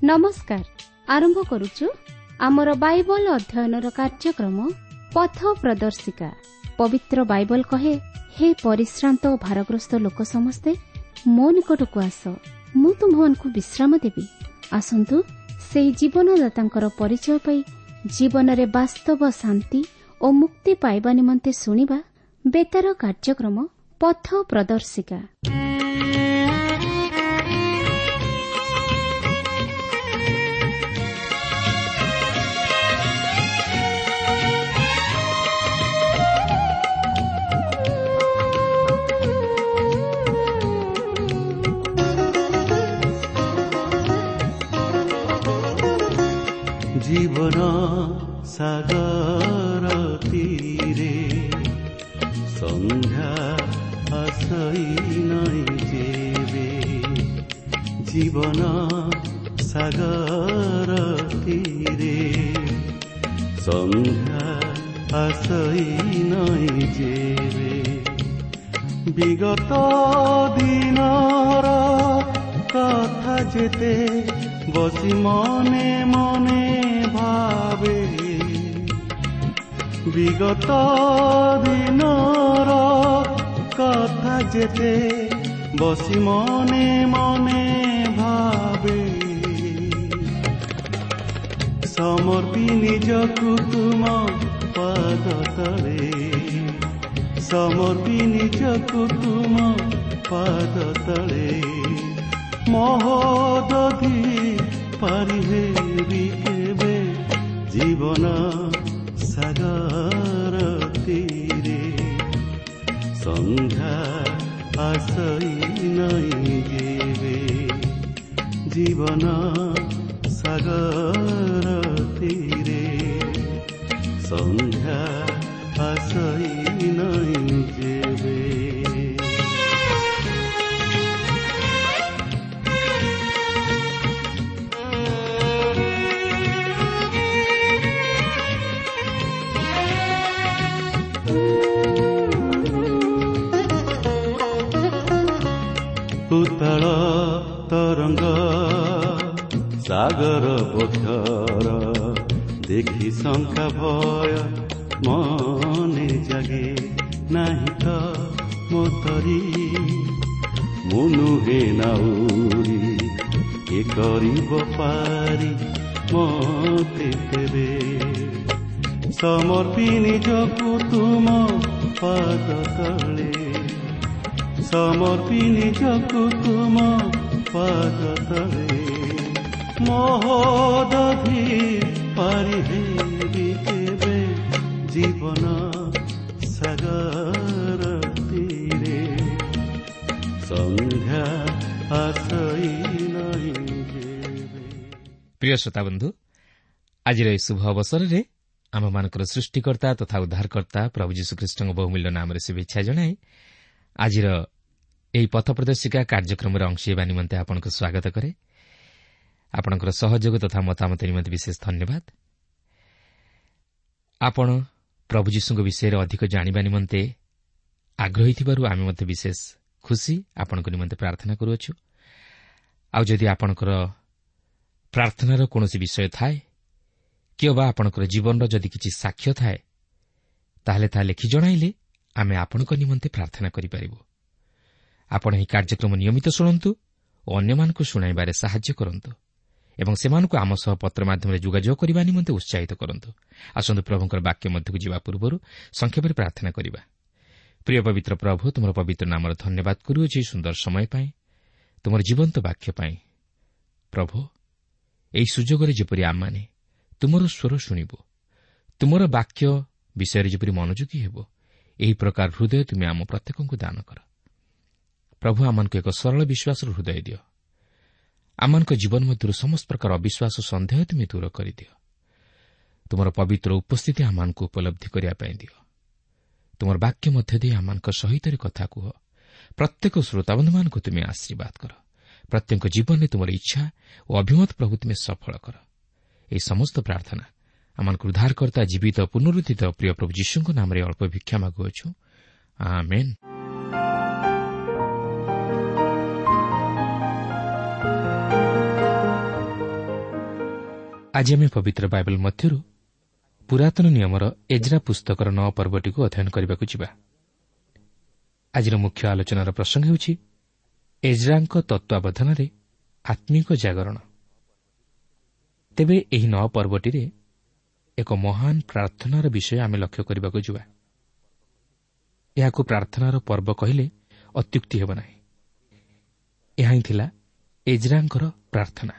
ନମସ୍କାର। ଆରମ୍ଭ କରୁଛୁ ଆମର ବାଇବଲ ଅଧ୍ୟୟନର କାର୍ଯ୍ୟକ୍ରମ ପଥ ପ୍ରଦର୍ଶିକା। ପବିତ୍ର ବାଇବଲ କହେ, ହେ ପରିଶ୍ରାନ୍ତ ଓ ଭାରଗ୍ରସ୍ତ ଲୋକ ସମସ୍ତେ ମୋ ନିକଟକୁ ଆସ, ମୁଁ ତୁମ୍ଭମାନଙ୍କୁ ବିଶ୍ରାମ ଦେବି। ଆସନ୍ତୁ ସେହି ଜୀବନଦାତାଙ୍କର ପରିଚୟ ପାଇ ଜୀବନରେ ବାସ୍ତବ ଶାନ୍ତି ଓ ମୁକ୍ତି ପାଇବା ନିମନ୍ତେ ଶୁଣିବା ବେତାର କାର୍ଯ୍ୟକ୍ରମ ପଥ ପ୍ରଦର୍ଶିକା। ଜୀବନ ସାଗର ତୀରେ ସନ୍ଧ୍ୟା ଆସଇ ନାଇଁ ଯେବେ, ଜୀବନ ସାଗର ତୀରେ ସନ୍ଧ୍ୟା ଆସଇ ନାଇଁ ଯେବେ। ବିଗତ ଦିନର କଥା ଯେତେ ବସି ମନେ ମନେ ଭାବେ, ବିଗତ ଦିନର କଥା ଯେତେ ବସି ମନେ ମନେ ଭାବେ, ସମର୍ପି ନିଜକୁ ତୁମ ପାଦ ତଳେ, ସମର୍ପି ନିଜକୁ ତୁମ ପାଦ ତଳେ, ମହୋଦଧି ପାରି ହେବି କେବେ ଜୀବନ ସାଗର ତୀରେ ସନ୍ଧ୍ୟା ଆସଇ ନାଇଁ ଯେବେ, ଜୀବନ ସାଗର ତୀରେ ସନ୍ଧ୍ୟା ଆସଇ ନାଇଁ ଯେବେ। ଉତ୍ତଳ ତରଙ୍ଗ ସାଗର ବକ୍ଷର ଦେଖି ଶଙ୍କା ଭୟ ମନେ ଜାଗେ, ନାହିଁ ତ ମୋତରି ମୁଁ ନୁହେଁ ନାଉରି, କିଏ କରିବ ପାରି ମତେ ତେବେ। ସମର୍ପି ନିଜକୁ ତୁମ ପାଦ ତଳେ, ସମର୍ପି ନିଜକୁ ତୁମ ପାଦ ତଳେ, ମହୋଦଧି ପାରି ହେବି କେବେ ଜୀବନ ସାଗର ତୀରେ ସନ୍ଧ୍ୟା ଆସଇ ନାଇଁ ଯେବେ। ପ୍ରିୟ ଶ୍ରୋତାବନ୍ଧୁ, ଆଜିର ଏହି ଶୁଭ ଅବସରରେ ଆମମାନଙ୍କର ସୃଷ୍ଟିକର୍ତ୍ତା ତଥା ଉଦ୍ଧାରକର୍ତ୍ତା ପ୍ରଭୁ ଯୀଶୁଖ୍ରୀଷ୍ଟଙ୍କ ବହୁମୂଲ୍ୟ ନାମରେ ଶୁଭେଚ୍ଛା ଜଣାଇ ଆଜିର ଏହି ପଥ ପ୍ରଦର୍ଶିକା କାର୍ଯ୍ୟକ୍ରମରେ ଅଂଶ ହେବା ନିମନ୍ତେ ଆପଣଙ୍କୁ ସ୍ୱାଗତ କରେ। ଆପଣଙ୍କର ସହଯୋଗ ତଥା ମତାମତ ନିମନ୍ତେ ବିଶେଷ ଧନ୍ୟବାଦ। ଆପଣ ପ୍ରଭୁ ଯୀଶୁଙ୍କ ବିଷୟରେ ଅଧିକ ଜାଣିବା ନିମନ୍ତେ ଆଗ୍ରହୀ ଥିବାରୁ ଆମେ ମଧ୍ୟ ବିଶେଷ ଖୁସି। ଆପଣଙ୍କ ନିମନ୍ତେ ପ୍ରାର୍ଥନା କରୁଅଛୁ। ଆଉ ଯଦି ଆପଣଙ୍କର ପ୍ରାର୍ଥନାର କୌଣସି ବିଷୟ ଥାଏ କିମ୍ବା ଆପଣଙ୍କର ଜୀବନର ଯଦି କିଛି ସାକ୍ଷ୍ୟ ଥାଏ, ତାହେଲେ ତାହା ଲେଖି ଜଣାଇଲେ ଆମେ ଆପଣଙ୍କ ନିମନ୍ତେ ପ୍ରାର୍ଥନା କରିପାରିବୁ। ଆପଣ ଏହି କାର୍ଯ୍ୟକ୍ରମ ନିୟମିତ ଶୁଣନ୍ତୁ ଓ ଅନ୍ୟମାନଙ୍କୁ ଶୁଣାଇବାରେ ସାହାଯ୍ୟ କରନ୍ତୁ ଏବଂ ସେମାନଙ୍କୁ ଆମ ସହ ପତ୍ର ମାଧ୍ୟମରେ ଯୋଗାଯୋଗ କରିବା ନିମନ୍ତେ ଉତ୍ସାହିତ କରନ୍ତୁ। ଆସନ୍ତୁ ପ୍ରଭୁଙ୍କର ବାକ୍ୟ ମଧ୍ୟକୁ ଯିବା ପୂର୍ବରୁ ସଂକ୍ଷେପରେ ପ୍ରାର୍ଥନା କରିବା। ପ୍ରିୟ ପବିତ୍ର ପ୍ରଭୁ, ତୁମର ପବିତ୍ର ନାମର ଧନ୍ୟବାଦ କରୁଅଛି ସୁନ୍ଦର ସମୟ ପାଇଁ, ତୁମର ଜୀବନ୍ତ ବାକ୍ୟ ପାଇଁ। ପ୍ରଭୁ, ଏହି ସୁଯୋଗରେ ଯେପରି ଆମମାନେ ତୁମର ସ୍ୱର ଶୁଣିବୁ, ତୁମର ବାକ୍ୟ ବିଷୟରେ ଯେପରି ମନୋଯୋଗୀ ହେବ, ଏହି ପ୍ରକାର ହୃଦୟ ତୁମେ ଆମ ପ୍ରତ୍ୟେକଙ୍କୁ ଦାନ କର। ପ୍ରଭୁ, ଆମମାନଙ୍କୁ ଏକ ସରଳ ବିଶ୍ୱାସର ହୃଦୟ ଦିଅ। ଆମମାନଙ୍କ ଜୀବନ ମଧ୍ୟରୁ ସମସ୍ତ ପ୍ରକାର ଅବିଶ୍ୱାସ, ସନ୍ଦେହ ତୁମେ ଦୂର କରିଦିଅ। ତୁମର ପବିତ୍ର ଉପସ୍ଥିତି ଆମମାନଙ୍କୁ ଉପଲବ୍ଧି କରିବା ପାଇଁ ଦିଅ। ତୁମର ବାକ୍ୟ ମଧ୍ୟ ଦେଇ ଆମମାନଙ୍କ ସହିତ କଥା କୁହ। ପ୍ରତ୍ୟେକ ଶ୍ରୋତାବନ୍ଧୁମାନଙ୍କୁ ତୁମେ ଆଶୀର୍ବାଦ କର। ପ୍ରତ୍ୟେକ ଜୀବନରେ ତୁମର ଇଚ୍ଛା ଓ ଅଭିମତ ପ୍ରଭୁ ତୁମେ ସଫଳ କର। ଏହି ସମସ୍ତ ପ୍ରାର୍ଥନା ଆମମାନଙ୍କୁ ଉଦ୍ଧାରକର୍ତ୍ତା ଜୀବିତ ପୁନରୁତ୍ଥିତ ପ୍ରିୟ ପ୍ରଭୁ ଯୀଶୁଙ୍କ ନାମରେ ଅଳ୍ପ ଭିକ୍ଷା ମାଗୁଅଛୁ, ଆମେନ୍। ଆଜି ଆମେ ପବିତ୍ର ବାଇବଲ ମଧ୍ୟରୁ ପୁରାତନ ନିୟମର ଏଜ୍ରା ପୁସ୍ତକର 9 ପର୍ବଟିକୁ ଅଧ୍ୟୟନ କରିବାକୁ ଯିବା। ଆଜିର ମୁଖ୍ୟ ଆଲୋଚନାର ପ୍ରସଙ୍ଗ ହେଉଛି ଏଜ୍ରାଙ୍କ ତତ୍ତ୍ୱାବଧାନରେ ଆତ୍ମିକ ଜାଗରଣ। ତେବେ ଏହି 9 ପର୍ବଟିରେ ଏକ ମହାନ ପ୍ରାର୍ଥନାର ବିଷୟ ଆମେ ଲକ୍ଷ୍ୟ କରିବାକୁ ଯିବା। ଏହାକୁ ପ୍ରାର୍ଥନାର ପର୍ବ କହିଲେ ଅତ୍ୟୁକ୍ତି ହେବ ନାହିଁ। ଏହା ହିଁ ଥିଲା ଏଜ୍ରାଙ୍କର ପ୍ରାର୍ଥନା,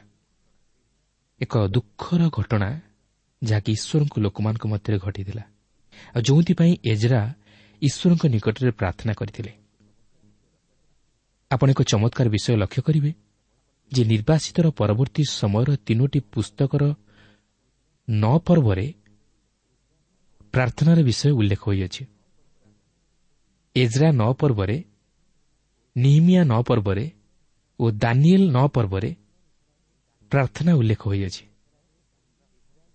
ଏକ ଦୁଃଖର ଘଟଣା ଯାହାକି ଈଶ୍ୱରଙ୍କ ଲୋକମାନଙ୍କ ମଧ୍ୟରେ ଘଟିଥିଲା, ଆଉ ଯେଉଁଥିପାଇଁ ଏଜ୍ରା ଈଶ୍ୱରଙ୍କ ନିକଟରେ ପ୍ରାର୍ଥନା କରିଥିଲେ। ଆପଣ ଏକ ଚମତ୍କାର ବିଷୟ ଲକ୍ଷ୍ୟ କରିବେ ଯେ ନିର୍ବାସିତର ପରବର୍ତ୍ତୀ ସମୟର 3ଟି ପୁସ୍ତକର 9 ପର୍ବରେ ପ୍ରାର୍ଥନାର ବିଷୟ ଉଲ୍ଲେଖ ହୋଇଅଛି। ଏଜ୍ରା 9 ପର୍ବରେ, ନିହିମିଆ 9 ପର୍ବରେ ଓ ଦାନିଏଲ 9 ପର୍ବରେ ପ୍ରାର୍ଥନା ଉଲ୍ଲେଖ ହୋଇଅଛି।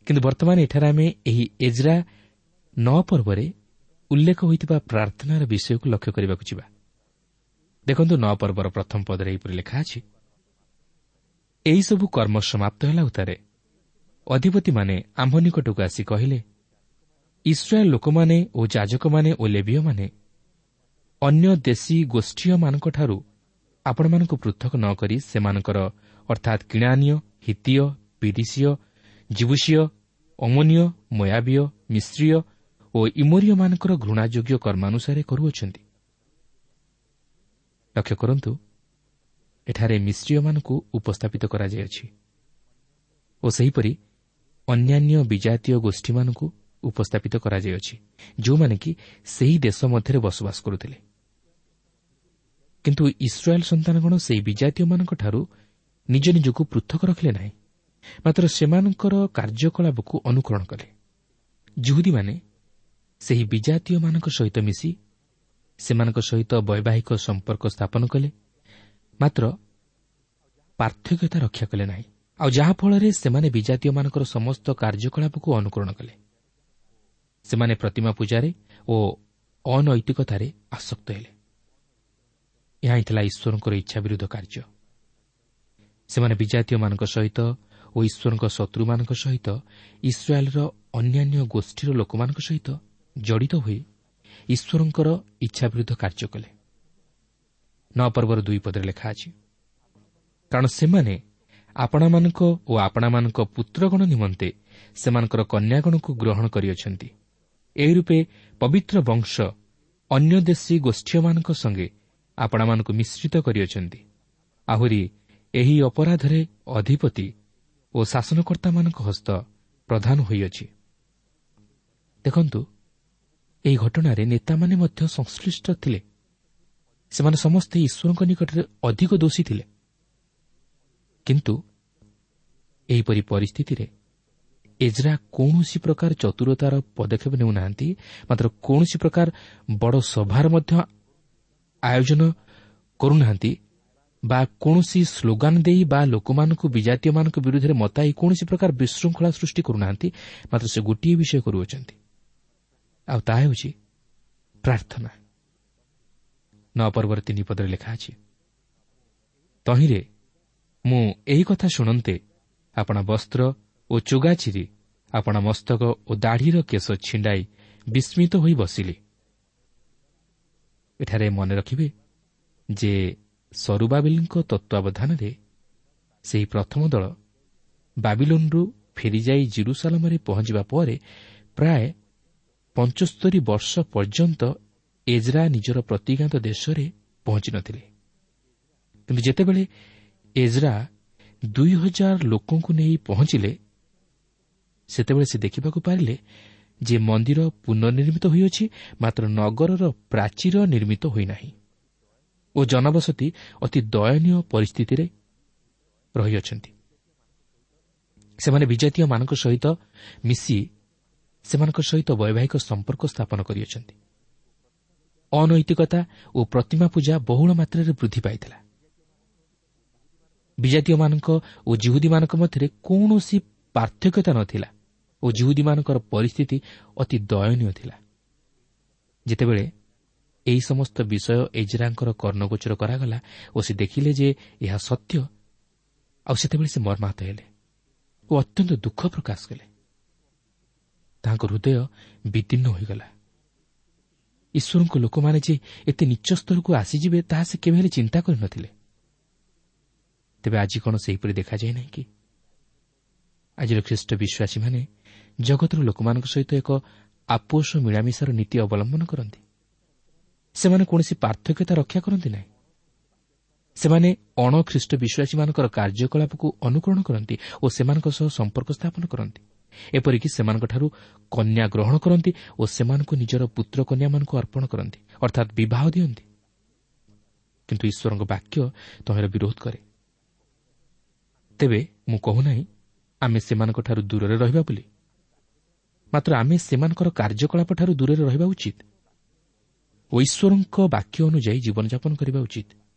କିନ୍ତୁ ବର୍ତ୍ତମାନ ଏଠାରେ ଆମେ ଏହି ଏଜ୍ରା 9 ପର୍ବରେ ଉଲ୍ଲେଖ ହୋଇଥିବା ପ୍ରାର୍ଥନାର ବିଷୟକୁ ଲକ୍ଷ୍ୟ କରିବାକୁ ଯିବା। ଦେଖନ୍ତୁ, 9 ପର୍ବର ପ୍ରଥମ ପଦରେ ଏହିପରି ଲେଖା ଅଛି, ଏହିସବୁ କର୍ମ ସମାପ୍ତ ହେଲା ଉତ୍ତାରେ ଅଧିପତିମାନେ ଆମ୍ଭ ନିକଟକୁ ଆସି କହିଲେ, ଇସ୍ରାଏଲ ଲୋକମାନେ ଓ ଯାଜକମାନେ ଓ ଲେବୀୟମାନେ ଅନ୍ୟ ଦେଶୀ ଗୋଷ୍ଠୀୟମାନଙ୍କଠାରୁ ଆପଣମାନଙ୍କୁ ପୃଥକ ନ କରି ସେମାନଙ୍କର ଅର୍ଥାତ୍ କିଣାନୀୟ, ହିତୀୟ, ପିରିସୀୟ, ଜିବୁସୀୟ, ଅମୋନୀୟ, ମୋୟାବୀୟ, ମିଶ୍ରୀୟ ଓ ଇମୋରୀୟମାନଙ୍କର ଘୃଣାଯୋଗ୍ୟ କର୍ମାନୁସାରେ କରୁଅଛନ୍ତି। ଲକ୍ଷ୍ୟ କରନ୍ତୁ, ଏଠାରେ ମିଶ୍ରୀୟମାନଙ୍କୁ ଉପସ୍ଥାପିତ କରାଯାଇଅଛି ଓ ସେହିପରି ଅନ୍ୟାନ୍ୟ ବିଜାତୀୟ ଗୋଷ୍ଠୀମାନଙ୍କୁ ଉପସ୍ଥାପିତ କରାଯାଇଅଛି, ଯେଉଁମାନେ କି ସେହି ଦେଶ ମଧ୍ୟରେ ବସବାସ କରୁଥିଲେ। କିନ୍ତୁ ଇସ୍ରାଏଲ ସନ୍ତାନଗଣ ସେହି ବିଜାତୀୟମାନଙ୍କଠାରୁ ନିଜ ନିଜକୁ ପୃଥକ ରଖିଲେ ନାହିଁ, ମାତ୍ର ସେମାନଙ୍କର କାର୍ଯ୍ୟକଳାପକୁ ଅନୁକରଣ କଲେ। ଯିହୁଦୀମାନେ ସେହି ବିଜାତୀୟମାନଙ୍କ ସହିତ ମିଶି ସେମାନଙ୍କ ସହିତ ବୈବାହିକ ସମ୍ପର୍କ ସ୍ଥାପନ କଲେ, ମାତ୍ର ପାର୍ଥକ୍ୟତା ରକ୍ଷା କଲେ ନାହିଁ, ଆଉ ଯାହାଫଳରେ ସେମାନେ ବିଜାତୀୟମାନଙ୍କର ସମସ୍ତ କାର୍ଯ୍ୟକଳାପକୁ ଅନୁକରଣ କଲେ। ସେମାନେ ପ୍ରତିମା ପୂଜାରେ ଓ ଅନୈତିକତାରେ ଆସକ୍ତ ହେଲେ। ଏହା ହିଁ ଥିଲା ଈଶ୍ୱରଙ୍କର ଇଚ୍ଛା ବିରୁଦ୍ଧ କାର୍ଯ୍ୟ। ସେମାନେ ବିଜାତୀୟମାନଙ୍କ ସହିତ ଓ ଈଶ୍ୱରଙ୍କ ଶତ୍ରୁମାନଙ୍କ ସହିତ ଇସ୍ରାଏଲର ଅନ୍ୟାନ୍ୟ ଗୋଷ୍ଠୀର ଲୋକମାନଙ୍କ ସହିତ ଜଡ଼ିତ ହୋଇ ଈଶ୍ୱରଙ୍କର ଇଚ୍ଛା ବିରୁଦ୍ଧ କାର୍ଯ୍ୟ କଲେ। 9 ପର୍ବର 2 ପଦରେ ଲେଖା ଅଛି, କାରଣ ସେମାନେ ଆପଣାମାନଙ୍କ ଓ ଆପଣାମାନଙ୍କ ପୁତ୍ରଗଣ ନିମନ୍ତେ ସେମାନଙ୍କର କନ୍ୟାଗଣକୁ ଗ୍ରହଣ କରିଅଛନ୍ତି। ଏହି ରୂପେ ପବିତ୍ର ବଂଶ ଅନ୍ୟ ଦେଶୀ ଗୋଷ୍ଠୀୟମାନଙ୍କ ସଙ୍ଗେ ଆପଣାମାନଙ୍କୁ ମିଶ୍ରିତ କରିଅଛନ୍ତି। ଆହୁରି ଏହି ଅପରାଧରେ ଅଧିପତି ଓ ଶାସନକର୍ତ୍ତାମାନଙ୍କ ହସ୍ତ ପ୍ରଧାନ ହୋଇଅଛି। ଦେଖନ୍ତୁ, ଏହି ଘଟଣାରେ ନେତାମାନେ ମଧ୍ୟ ସଂଶ୍ଳିଷ୍ଟ ଥିଲେ। ସେମାନେ ସମସ୍ତେ ଈଶ୍ୱରଙ୍କ ନିକଟରେ ଅଧିକ ଦୋଷୀ ଥିଲେ। କିନ୍ତୁ ଏହିପରି ପରିସ୍ଥିତିରେ ଏଜ୍ରା କୌଣସି ପ୍ରକାର ଚତୁରତାର ପଦକ୍ଷେପ ନେଉନାହାନ୍ତି, ମାତ୍ର କୌଣସି ପ୍ରକାର ବଡ଼ ସଭାର ମଧ୍ୟ ଆୟୋଜନ କରୁନାହାନ୍ତି ବା କୌଣସି ସ୍ଲୋଗାନ ଦେଇ ବା ଲୋକମାନଙ୍କୁ ବିଜାତୀୟମାନଙ୍କ ବିରୁଦ୍ଧରେ ମତାଇ କୌଣସି ପ୍ରକାର ବିଶୃଙ୍ଖଳା ସୃଷ୍ଟି କରୁନାହାନ୍ତି, ମାତ୍ର ସେ ଗୋଟିଏ ବିଷୟ କରୁଅଛନ୍ତି, ଆଉ ତାହା ହେଉଛି ପ୍ରାର୍ଥନା। 9 ପର୍ବର 3 ପଦରେ ଲେଖା ଅଛି, ତହିଁରେ ମୁଁ ଏହି କଥା ଶୁଣନ୍ତେ ଆପଣା ବସ୍ତ୍ର ଓ ଚୋଗା ଚିରି ଆପଣା ମସ୍ତକ ଓ ଦାଢ଼ିର କେଶ ଛିଣ୍ଡାଇ ବିସ୍ମିତ ହୋଇ ବସିଲି। ଏଠାରେ ମନେ ରଖିବେ ଯେ ସରୁବାବିଲଙ୍କ ତତ୍ତ୍ୱାବଧାନରେ ସେହି ପ୍ରଥମ ଦଳ ବାବିଲୋନରୁ ଫେରିଯାଇ ଜିରୁସାଲମରେ ପହଞ୍ଚିବା ପରେ ପ୍ରାୟ 75 ବର୍ଷ ପର୍ଯ୍ୟନ୍ତ ଏଜ୍ରା ନିଜର ପ୍ରତିଜ୍ଞାତ ଦେଶରେ ପହଞ୍ଚି ନଥିଲେ। କିନ୍ତୁ ଯେତେବେଳେ ଏଜ୍ରା 2000 ଲୋକଙ୍କୁ ନେଇ ପହଞ୍ଚିଲେ, ସେତେବେଳେ ସେ ଦେଖିବାକୁ ପାରିଲେ ଯେ ମନ୍ଦିର ପୁନର୍ନିର୍ମିତ ହୋଇଅଛି, ମାତ୍ର ନଗରର ପ୍ରାଚୀର ନିର୍ମିତ ହୋଇନାହିଁ ଓ ଜନବସତି ଅତି ଦୟନୀୟ ପରିସ୍ଥିତିରେ ରହିଅଛନ୍ତି। ସେମାନେ ବିଜାତୀୟମାନଙ୍କ ସହିତ ମିଶି ସେମାନଙ୍କ ସହିତ ବୈବାହିକ ସମ୍ପର୍କ ସ୍ଥାପନ କରିଅଛନ୍ତି। ଅନୈତିକତା ଓ ପ୍ରତିମା ପୂଜା ବହୁଳ ମାତ୍ରାରେ ବୃଦ୍ଧି ପାଇଥିଲା। ବିଜାତୀୟମାନଙ୍କ ଓ ଜିହୁଦୀମାନଙ୍କ ମଧ୍ୟରେ କୌଣସି ପାର୍ଥକ୍ୟତା ନଥିଲା ଓ ଜିହୁଦୀମାନଙ୍କର ପରିସ୍ଥିତି ଅତି ଦୟନୀୟ ଥିଲା। ଯେତେବେଳେ ଏହି ସମସ୍ତ ବିଷୟ ଏଜ୍ରାଙ୍କର କର୍ଣ୍ଣଗୋଚର କରାଗଲା ଓ ସେ ଦେଖିଲେ ଯେ ଏହା ସତ୍ୟ, ଆଉ ସେତେବେଳେ ସେ ମର୍ମାହତ ହେଲେ ଓ ଓ ଅତ୍ୟନ୍ତ ଦୁଃଖ ପ୍ରକାଶ କଲେ। ତାଙ୍କ ହୃଦୟ ବିଦୀର୍ଣ୍ଣ ହୋଇଗଲା। ଈଶ୍ୱରଙ୍କ ଲୋକମାନେ ଯେ ଏତେ ନିଚ୍ଚ ସ୍ତରକୁ ଆସିଯିବେ ତାହା ସେ କେବେ ହେଲେ ଚିନ୍ତା କରିନଥିଲେ। ତେବେ ଆଜି କ'ଣ ସେହିପରି ଦେଖାଯାଏ ନାହିଁ କି? ଆଜିର ଖ୍ରୀଷ୍ଟ ବିଶ୍ୱାସୀମାନେ ଜଗତର ଲୋକମାନଙ୍କ ସହିତ ଏକ ଆପୋଷ ମିଳାମିଶାର ନୀତି ଅବଲମ୍ବନ କରନ୍ତି। ସେମାନେ କୌଣସି ପାର୍ଥକ୍ୟତା ରକ୍ଷା କରନ୍ତି ନାହିଁ। ସେମାନେ ଅଣଖ୍ରୀଷ୍ଟ ବିଶ୍ୱାସୀମାନଙ୍କର କାର୍ଯ୍ୟକଳାପକୁ ଅନୁକରଣ କରନ୍ତି ଓ ସେମାନଙ୍କ ସହ ସମ୍ପର୍କ ସ୍ଥାପନ କରନ୍ତି। ଏପରିକି ସେମାନଙ୍କଠାରୁ କନ୍ୟା ଗ୍ରହଣ କରନ୍ତି ଓ ସେମାନଙ୍କୁ ନିଜର ପୁତ୍ର କନ୍ୟାମାନଙ୍କୁ ଅର୍ପଣ କରନ୍ତି, ଅର୍ଥାତ୍ ବିବାହ ଦିଅନ୍ତି। କିନ୍ତୁ ଈଶ୍ୱରଙ୍କ ବାକ୍ୟ ତହିଁର ବିରୋଧ କରେ। ତେବେ ମୁଁ କହୁନାହିଁ ଆମେ ସେମାନଙ୍କଠାରୁ ଦୂରରେ ରହିବା ବୋଲି, ମାତ୍ର ଆମେ ସେମାନଙ୍କର କାର୍ଯ୍ୟକଳାପଠାରୁ ଦୂରରେ ରହିବା ଉଚିତ ଓ ଈଶ୍ୱରଙ୍କ ବାକ୍ୟ ଅନୁଯାୟୀ ଜୀବନଯାପନ କରିବା ଉଚିତ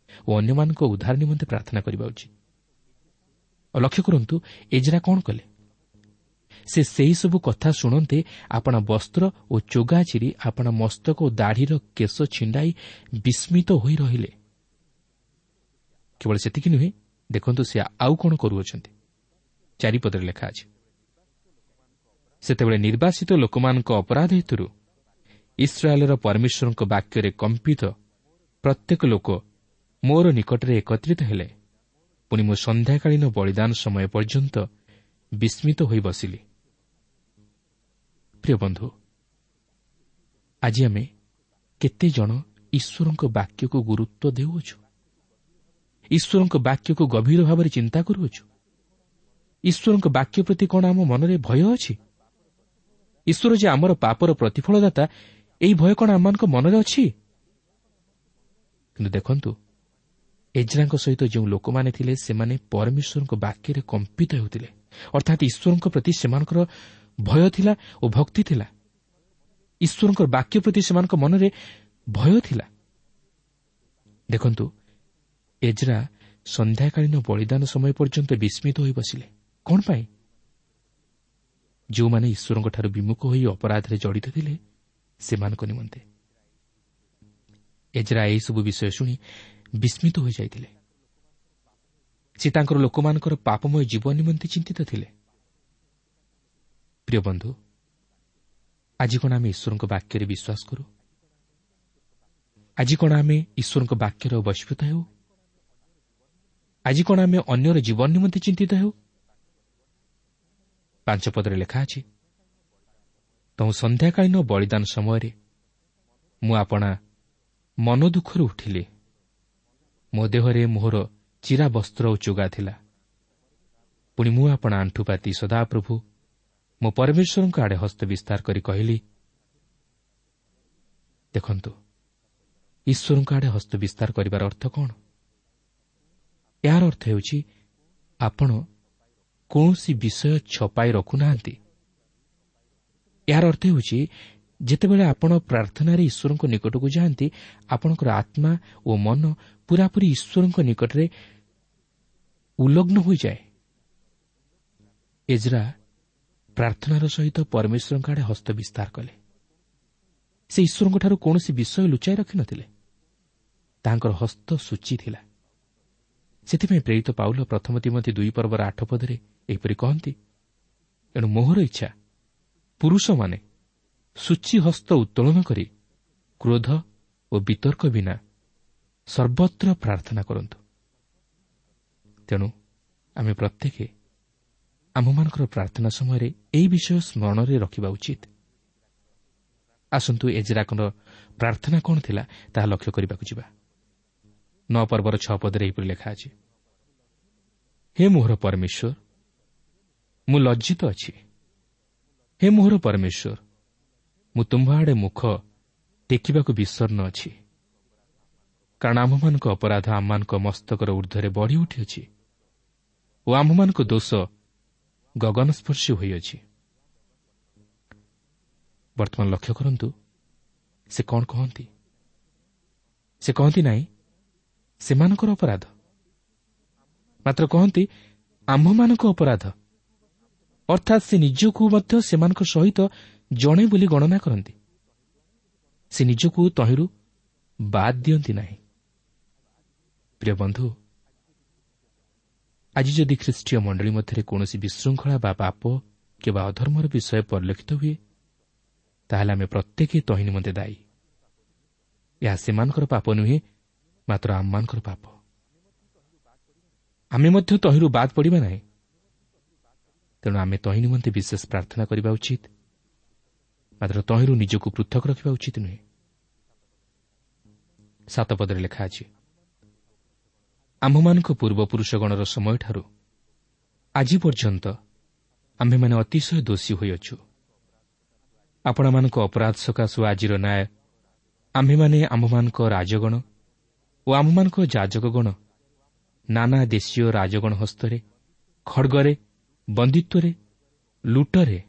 ଓ ଅନ୍ୟମାନଙ୍କ ଉଦ୍ଧାର ନିମନ୍ତେ ପ୍ରାର୍ଥନା କରିବା ଉଚିତ। ଲକ୍ଷ୍ୟ କରନ୍ତୁ, ଏଜରା କ'ଣ କଲେ? ସେ ସେହିସବୁ କଥା ଶୁଣନ୍ତେ ଆପଣା ବସ୍ତ୍ର ଓ ଚୋଗା ଚିରି ଆପଣା ମସ୍ତକ ଓ ଦାଢ଼ିର କେଶ ଛିଣ୍ଡାଇ ବିସ୍ମିତ ହୋଇ ରହିଲେ। କେବଳ ସେତିକି ନୁହେଁ, ଦେଖନ୍ତୁ ସେ ଆଉ କ'ଣ କରୁଅଛନ୍ତି। 4 ପଦରେ ଲେଖା ଅଛି, ସେତେବେଳେ ନିର୍ବାସିତ ଲୋକମାନଙ୍କ ଅପରାଧ ହେତୁରୁ ଇସ୍ରାଏଲର ପରମେଶ୍ୱରଙ୍କ ବାକ୍ୟରେ କମ୍ପିତ ପ୍ରତ୍ୟେକ ଲୋକ ମୋର ନିକଟରେ ଏକତ୍ରିତ ହେଲେ। ପୁଣି ମୁଁ ସନ୍ଧ୍ୟାକାଳୀନ ବଳିଦାନ ସମୟ ପର୍ଯ୍ୟନ୍ତ ବିସ୍ମିତ ହୋଇ ବସିଲି। ପ୍ରିୟ ବନ୍ଧୁ, ଆଜି ଆମେ କେତେ ଜଣ ଈଶ୍ୱରଙ୍କ ବାକ୍ୟକୁ ଗୁରୁତ୍ୱ ଦେଉଅଛୁ? ଈଶ୍ୱରଙ୍କ ବାକ୍ୟକୁ ଗଭୀର ଭାବରେ ଚିନ୍ତା କରୁଅଛୁ? ଈଶ୍ୱରଙ୍କ ବାକ୍ୟ ପ୍ରତି କ'ଣ ଆମ ମନରେ ଭୟ ଅଛି? ଈଶ୍ୱର ଯେ ଆମର ପାପର ପ୍ରତିଫଳଦାତା, ଏହି ଭୟ କ'ଣ ଆମମାନଙ୍କ ମନରେ ଅଛି? କିନ୍ତୁ ଦେଖନ୍ତୁ, ଏଜ୍ରାଙ୍କ ସହିତ ଯେଉଁ ଲୋକମାନେ ଥିଲେ ସେମାନେ ପରମେଶ୍ୱରଙ୍କ ବାକ୍ୟରେ କମ୍ପିତ ହେଉଥିଲେ, ଅର୍ଥାତ୍ ଈଶ୍ୱରଙ୍କ ପ୍ରତି ସେମାନଙ୍କର ଭୟ ଥିଲା ଓ ଭକ୍ତି ଥିଲା। ଈଶ୍ୱରଙ୍କ ବାକ୍ୟ ପ୍ରତି ସେମାନଙ୍କ ମନରେ ଭୟ ଥିଲା। ଦେଖନ୍ତୁ, ଏଜ୍ରା ସନ୍ଧ୍ୟାକାଳୀନ ବଳିଦାନ ସମୟ ପର୍ଯ୍ୟନ୍ତ ବିସ୍ମିତ ହୋଇ ବସିଲେ। କ'ଣ ପାଇଁ? ଯେଉଁମାନେ ଈଶ୍ୱରଙ୍କଠାରୁ ବିମୁଖ ହୋଇ ଅପରାଧରେ ଜଡ଼ିତ ଥିଲେ ସେମାନଙ୍କ ନିମନ୍ତେ। ଏଜ୍ରା ଏହିସବୁ ବିଷୟ ଶୁଣି ବିସ୍ମିତ ହୋଇଯାଇଥିଲେ। ସେ ତାଙ୍କର ଲୋକମାନଙ୍କର ପାପମୟ ଜୀବନ ନିମନ୍ତେ ଚିନ୍ତିତ ଥିଲେ। ପ୍ରିୟ ବନ୍ଧୁ, ଆଜି କ'ଣ ଆମେ ଈଶ୍ୱରଙ୍କ ବାକ୍ୟରେ ବିଶ୍ୱାସ କରୁ? ଆଜି କ'ଣ ଆମେ ଈଶ୍ୱରଙ୍କ ବାକ୍ୟର ବଶୀଭୂତ ହେଉ? ଆଜି କ'ଣ ଆମେ ଅନ୍ୟର ଜୀବନ ନିମନ୍ତେ ଚିନ୍ତିତ ହେଉ? 5 ପଦରେ ଲେଖା ଅଛି, ତହୁଁ ସନ୍ଧ୍ୟାକାଳୀନ ବଳିଦାନ ସମୟରେ ମୁଁ ଆପଣା ମନ ଦୁଃଖରୁ ଉଠିଲି। ମୋ ଦେହରେ ମୋହର ଚିରା ବସ୍ତ୍ର ଓ ଚୋଗା ଥିଲା। ପୁଣି ମୁଁ ଆପଣା ଆଣ୍ଠୁପାତି ସଦାପ୍ରଭୁ ମୋ ପରମେଶ୍ୱରଙ୍କ ଆଡ଼େ ହସ୍ତ ବିସ୍ତାର କରି କହିଲି। ଦେଖନ୍ତୁ, ଈଶ୍ୱରଙ୍କ ଆଡ଼େ ହସ୍ତ ବିସ୍ତାର କରିବାର ଅର୍ଥ କ'ଣ? ଏହାର ଅର୍ଥ ହେଉଛି ଆପଣ କୌଣସି ବିଷୟ ଛପାଇ ରଖୁନାହାନ୍ତି। ଏହାର ଅର୍ଥ ହେଉଛି ଯେତେବେଳେ ଆପଣ ପ୍ରାର୍ଥନାରେ ଈଶ୍ୱରଙ୍କ ନିକଟକୁ ଯାଆନ୍ତି, ଆପଣଙ୍କର ଆତ୍ମା ଓ ମନ ପୂରାପୂରି ଈଶ୍ୱରଙ୍କ ନିକଟରେ ଉଲଗ୍ନ ହୋଇଯାଏ। ଏଜ୍ରା ପ୍ରାର୍ଥନାର ସହିତ ପରମେଶ୍ୱରଙ୍କ ଆଡ଼େ ହସ୍ତ ବିସ୍ତାର କଲେ। ସେ ଈଶ୍ୱରଙ୍କଠାରୁ କୌଣସି ବିଷୟ ଲୁଚାଇ ରଖିନଥିଲେ। ତାଙ୍କର ହସ୍ତ ସୂଚୀ ଥିଲା। ସେଥିପାଇଁ ପ୍ରେରିତ ପାଉଲ ପ୍ରଥମ ତିମୋଥି 2 ପର୍ବର 8 ପଦରେ ଏହିପରି କହନ୍ତି, ଏଣୁ ମୋହର ଇଚ୍ଛା ପୁରୁଷମାନେ ସୂଚୀ ହସ୍ତ ଉତ୍ତୋଳନ କରି କ୍ରୋଧ ଓ ବିତର୍କ ବିନା ସର୍ବତ୍ର ପ୍ରାର୍ଥନା କରନ୍ତୁ। ତେଣୁ ଆମେ ପ୍ରତ୍ୟେକ ଆମ୍ଭମାନଙ୍କର ପ୍ରାର୍ଥନା ସମୟରେ ଏହି ବିଷୟ ସ୍ମରଣରେ ରଖିବା ଉଚିତ। ଆସନ୍ତୁ ଏଜ୍ରାଙ୍କର ପ୍ରାର୍ଥନା କ'ଣ ଥିଲା ତାହା ଲକ୍ଷ୍ୟ କରିବାକୁ ଯିବା। 9 ପର୍ବର 6 ପଦରେ ଏହିପରି ଲେଖା ଅଛି, ହେ ମୋହର ପରମେଶ୍ୱର, ମୁଁ ଲଜ୍ଜିତ ଅଛି। ହେ ମୋହର ପରମେଶ୍ୱର, ମୁଁ ତୁମ୍ଭ ଆଡ଼େ ମୁଖ ଟେକିବାକୁ ବିଷର୍ଣ୍ଣ ଅଛି। କାରଣ ଆମ୍ଭମାନଙ୍କ ଅପରାଧ ଆମମାନଙ୍କ ମସ୍ତକର ଊର୍ଦ୍ଧ୍ୱରେ ବଢ଼ି ଉଠିଅଛି ଓ ଆମ୍ଭମାନଙ୍କ ଦୋଷ ଗଗନସ୍ପର୍ଶୀ ହୋଇଅଛି। ବର୍ତ୍ତମାନ ଲକ୍ଷ୍ୟ କରନ୍ତୁ ସେ କ'ଣ କହନ୍ତି। ସେ କହନ୍ତି ନାହିଁ ସେମାନଙ୍କର ଅପରାଧ, ମାତ୍ର କହନ୍ତି ଆମ୍ଭମାନଙ୍କ ଅପରାଧ। ଅର୍ଥାତ୍ ସେ ନିଜକୁ ମଧ୍ୟ ସେମାନଙ୍କ ସହିତ ଜଣେ ବୋଲି ଗଣନା କରନ୍ତି। ସେ ନିଜକୁ ତହିଁରୁ ବାଦ୍ ଦିଅନ୍ତି ନାହିଁ। ପ୍ରିୟ ବନ୍ଧୁ, ଆଜି ଯଦି ଖ୍ରୀଷ୍ଟୀୟ ମଣ୍ଡଳୀ ମଧ୍ୟରେ କୌଣସି ବିଶୃଙ୍ଖଳା ବା ପାପ କିମ୍ବା ଅଧର୍ମର ବିଷୟ ପରିଲକ୍ଷିତ ହୁଏ, ତାହେଲେ ଆମେ ପ୍ରତ୍ୟେକ ତହିଁ ନିମନ୍ତେ ଦାୟୀ। ଏହା ସେମାନଙ୍କର ପାପ ନୁହେଁ, ମାତ୍ର ଆମମାନଙ୍କର ପାପ। ଆମେ ମଧ୍ୟ ତହିଁରୁ ବାଦ୍ ପଡ଼ିବା ନାହିଁ। ତେଣୁ ଆମେ ତହିଁ ନିମନ୍ତେ ବିଶେଷ ପ୍ରାର୍ଥନା କରିବା ଉଚିତ, ମାତ୍ର ତହିଁରୁ ନିଜକୁ ପୃଥକ ରଖିବା ଉଚିତ ନୁହେଁ। 7 ପଦରେ ଲେଖା ଅଛି, ଆମ୍ଭମାନଙ୍କ ପୂର୍ବପୁରୁଷଗଣର ସମୟଠାରୁ ଆଜି ପର୍ଯ୍ୟନ୍ତ ଆମ୍ଭେମାନେ ଅତିଶୟ ଦୋଷୀ ହୋଇଅଛୁ। ଆପଣମାନଙ୍କ ଅପରାଧ ସକାଶୁ ଆଜିର ନ୍ୟାୟ ଆମ୍ଭେମାନେ ଆମ୍ଭମାନଙ୍କ ରାଜଗଣ ଓ ଆମ୍ଭମାନଙ୍କ ଯାଜକଗଣ ନାନା ଦେଶୀୟ ରାଜଗଣ ହସ୍ତରେ, ଖଡ଼ଗରେ, ବନ୍ଦିତ୍ୱରେ, ଲୁଟରେ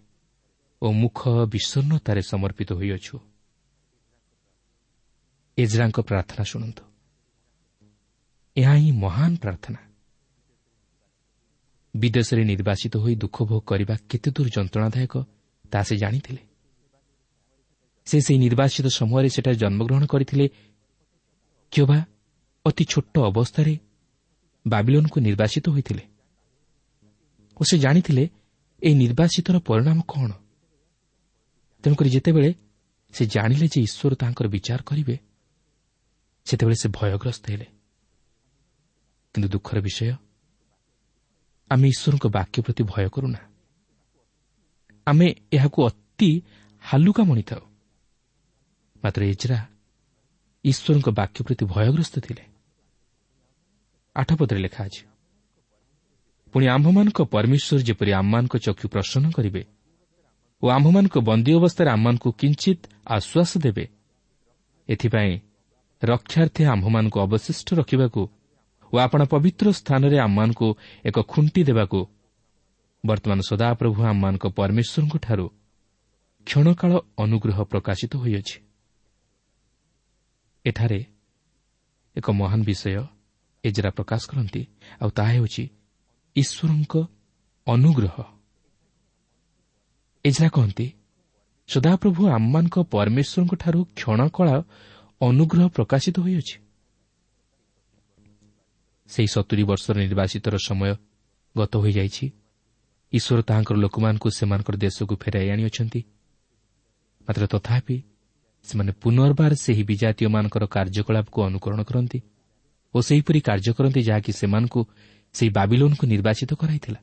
ଓ ମୁଖ ବିଷଣ୍ଣତାରେ ସମର୍ପିତ ହୋଇଅଛୁ। ଏଜ୍ରାଙ୍କ ପ୍ରାର୍ଥନା ଶୁଣନ୍ତୁ। ଏହା ହିଁ ମହାନ ପ୍ରାର୍ଥନା। ବିଦେଶରେ ନିର୍ବାସିତ ହୋଇ ଦୁଃଖ ଭୋଗ କରିବା କେତେ ଦୂର ଯନ୍ତ୍ରଣାଦାୟକ ତାହା ସେ ଜାଣିଥିଲେ। ସେ ସେହି ନିର୍ବାସିତ ସମୟରେ ସେଠାରେ ଜନ୍ମଗ୍ରହଣ କରିଥିଲେ କିମ୍ବା ଅତି ଛୋଟ ଅବସ୍ଥାରେ ବାବିଲୋନକୁ ନିର୍ବାସିତ ହୋଇଥିଲେ ଓ ସେ ଜାଣିଥିଲେ ଏହି ନିର୍ବାସିତର ପରିଣାମ କ'ଣ। ତେଣୁକରି ଯେତେବେଳେ ସେ ଜାଣିଲେ ଯେ ଈଶ୍ୱର ତାଙ୍କର ବିଚାର କରିବେ, ସେତେବେଳେ ସେ ଭୟଗ୍ରସ୍ତ ହେଲେ। କିନ୍ତୁ ଦୁଃଖର ବିଷୟ, ଆମେ ଈଶ୍ୱରଙ୍କ ବାକ୍ୟ ପ୍ରତି ଭୟ କରୁନା। ଆମେ ଏହାକୁ ଅତି ହାଲୁକା ମଣିଥାଉ। ମାତ୍ର ଏଜ୍ରା ଈଶ୍ୱରଙ୍କ ବାକ୍ୟ ପ୍ରତି ଭୟଗ୍ରସ୍ତ ଥିଲେ। 8 ପଦରେ ଲେଖା ଅଛି, ପୁଣି ଆମ୍ଭମାନଙ୍କ ପରମେଶ୍ୱର ଯେପରି ଆମମାନଙ୍କ ଚକ୍ଷୁ ପ୍ରସନ୍ନ କରିବେ ଓ ଆମ୍ଭମାନଙ୍କ ବନ୍ଦୀ ଅବସ୍ଥାରେ ଆମମାନଙ୍କୁ କିଞ୍ଚିତ ଆଶ୍ୱାସ ଦେବେ, ଏଥିପାଇଁ ରକ୍ଷାର୍ଥେ ଆମ୍ଭମାନଙ୍କୁ ଅବଶିଷ୍ଟ ରଖିବାକୁ ଓ ଆପଣା ପବିତ୍ର ସ୍ଥାନରେ ଆମମାନଙ୍କୁ ଏକ ଖୁଣ୍ଟି ଦେବାକୁ ବର୍ତ୍ତମାନ ସଦାପ୍ରଭୁ ଆମମାନଙ୍କ ପରମେଶ୍ୱରଙ୍କଠାରୁ କ୍ଷଣକାଳ ଅନୁଗ୍ରହ ପ୍ରକାଶିତ ହୋଇଅଛି। ଏଠାରେ ଏକ ମହାନ ବିଷୟ ଏଜ୍ରା ପ୍ରକାଶ କରନ୍ତି, ଆଉ ତାହା ହେଉଛି ଈଶ୍ୱରଙ୍କ ଅନୁଗ୍ରହ। ଏଜ୍ରା କହନ୍ତି, ସଦାପ୍ରଭୁ ଆମମାନଙ୍କ ପରମେଶ୍ୱରଙ୍କଠାରୁ କ୍ଷଣକାଳ ଅନୁଗ୍ରହ ପ୍ରକାଶିତ ହୋଇଅଛି। ସେହି 70 ବର୍ଷର ନିର୍ବାସିତର ସମୟ ଗତ ହୋଇଯାଇଛି। ଈଶ୍ୱର ତାହାଙ୍କର ଲୋକମାନଙ୍କୁ ସେମାନଙ୍କର ଦେଶକୁ ଫେରାଇ ଆଣିଅଛନ୍ତି। ମାତ୍ର ତଥାପି ସେମାନେ ପୁନର୍ବାର ସେହି ବିଜାତୀୟମାନଙ୍କର କାର୍ଯ୍ୟକଳାପକୁ ଅନୁକରଣ କରନ୍ତି ଓ ସେହିପରି କାର୍ଯ୍ୟ କରନ୍ତି ଯାହାକି ସେମାନଙ୍କୁ ସେହି ବାବିଲୋନକୁ ନିର୍ବାଚିତ କରାଇଥିଲା।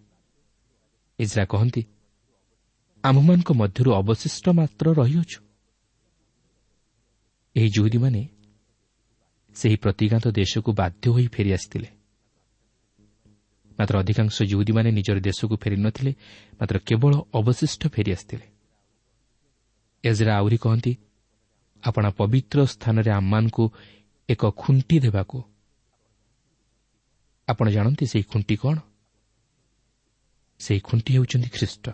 ଏଜ୍ରା କହନ୍ତି, ଆମ୍ଭମାନଙ୍କ ମଧ୍ୟରୁ ଅବଶିଷ୍ଟ ମାତ୍ର ରହିଅଛୁ। ଏହି ଯୁହୁଦୀମାନେ ସେହି ପ୍ରତିଜ୍ଞାତ ଦେଶକୁ ବାଧ୍ୟ ହୋଇ ଫେରିଆସିଥିଲେ। ମାତ୍ର ଅଧିକାଂଶ ଯୁହୁଦୀମାନେ ନିଜର ଦେଶକୁ ଫେରିନଥିଲେ, ମାତ୍ର କେବଳ ଅବଶିଷ୍ଟ ଫେରିଆସିଥିଲେ। ଏଜ୍ରା ଆହୁରି କହନ୍ତି, ଆପଣା ପବିତ୍ର ସ୍ଥାନରେ ଆମମାନଙ୍କୁ ଏକ ଖୁଣ୍ଟି ଦେବାକୁ। ଆପଣ ଜାଣନ୍ତି ସେହି ଖୁଣ୍ଟି କ'ଣ? ସେହି ଖୁଣ୍ଟି ହେଉଛନ୍ତି ଖ୍ରୀଷ୍ଟ।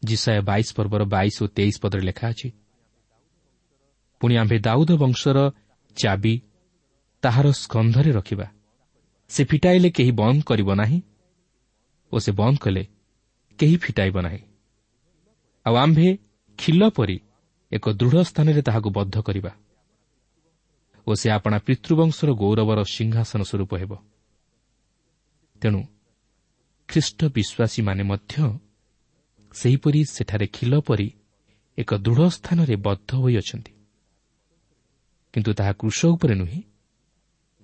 ଯିଶାଇୟ 22 ପର୍ବର 22 ଓ 23 ପଦରେ ଲେଖା ଅଛି, ପୁଣି ଆମ୍ଭେ ଦାଉଦ ବଂଶର ଚାବି ତାହାର ସ୍କନ୍ଧରେ ରଖିବା, ସେ ଫିଟାଇଲେ କେହି ବନ୍ଦ କରିବ ନାହିଁ ଓ ସେ ବନ୍ଦ କଲେ କେହି ଫିଟାଇବ ନାହିଁ। ଆଉ ଆମ୍ଭେ ଖିଲ ପରି ଏକ ଦୃଢ଼ ସ୍ଥାନରେ ତାହାକୁ ବଦ୍ଧ କରିବା ଓ ସେ ଆପଣା ପିତୃବଂଶର ଗୌରବର ସିଂହାସନ ସ୍ୱରୂପ ହେବ। ତେଣୁ ଖ୍ରୀଷ୍ଟ ବିଶ୍ୱାସୀମାନେ ମଧ୍ୟ ସେହିପରି ସେଠାରେ ଖିଲ ପରି ଏକ ଦୃଢ଼ ସ୍ଥାନରେ ବଦ୍ଧ ହୋଇଅଛନ୍ତି, କିନ୍ତୁ ତାହା କ୍ରୁଶ ଉପରେ ନୁହେଁ,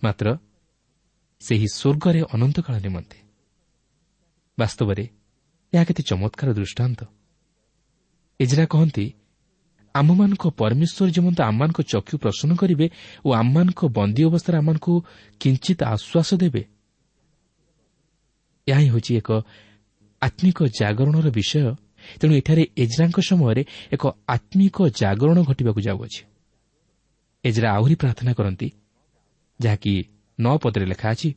ମାତ୍ର ସେହି ସ୍ୱର୍ଗରେ ଅନନ୍ତକାଳ ନିମନ୍ତେ। ବାସ୍ତବରେ ଏହା କେତେ ଚମତ୍କାର ଦୃଷ୍ଟାନ୍ତ। ଏଜ୍ରା କହନ୍ତି, ଆମମାନଙ୍କ ପରମେଶ୍ୱର ଯେମନ୍ତ ଆମମାନଙ୍କ ଚକ୍ଷୁ ପ୍ରସନ୍ନ କରିବେ ଓ ଆମମାନଙ୍କ ବନ୍ଦୀ ଅବସ୍ଥାରେ ଆମମାନଙ୍କୁ କିଞ୍ଚିତ ଆଶ୍ୱାସ ଦେବେ। ଏହା ହିଁ ହେଉଛି ଏକ ଆତ୍ମିକ ଜାଗରଣର ବିଷୟ। ତେଣୁ ଏଠାରେ ଏଜ୍ରାଙ୍କ ସମୟରେ ଏକ ଆତ୍ମିକ ଜାଗରଣ ଘଟିବାକୁ ଯାଉଅଛି। ଏଜ୍ରା ଆହୁରି ପ୍ରାର୍ଥନା କରନ୍ତି, ଯାହାକି 9 ପଦରେ ଲେଖା ଅଛି,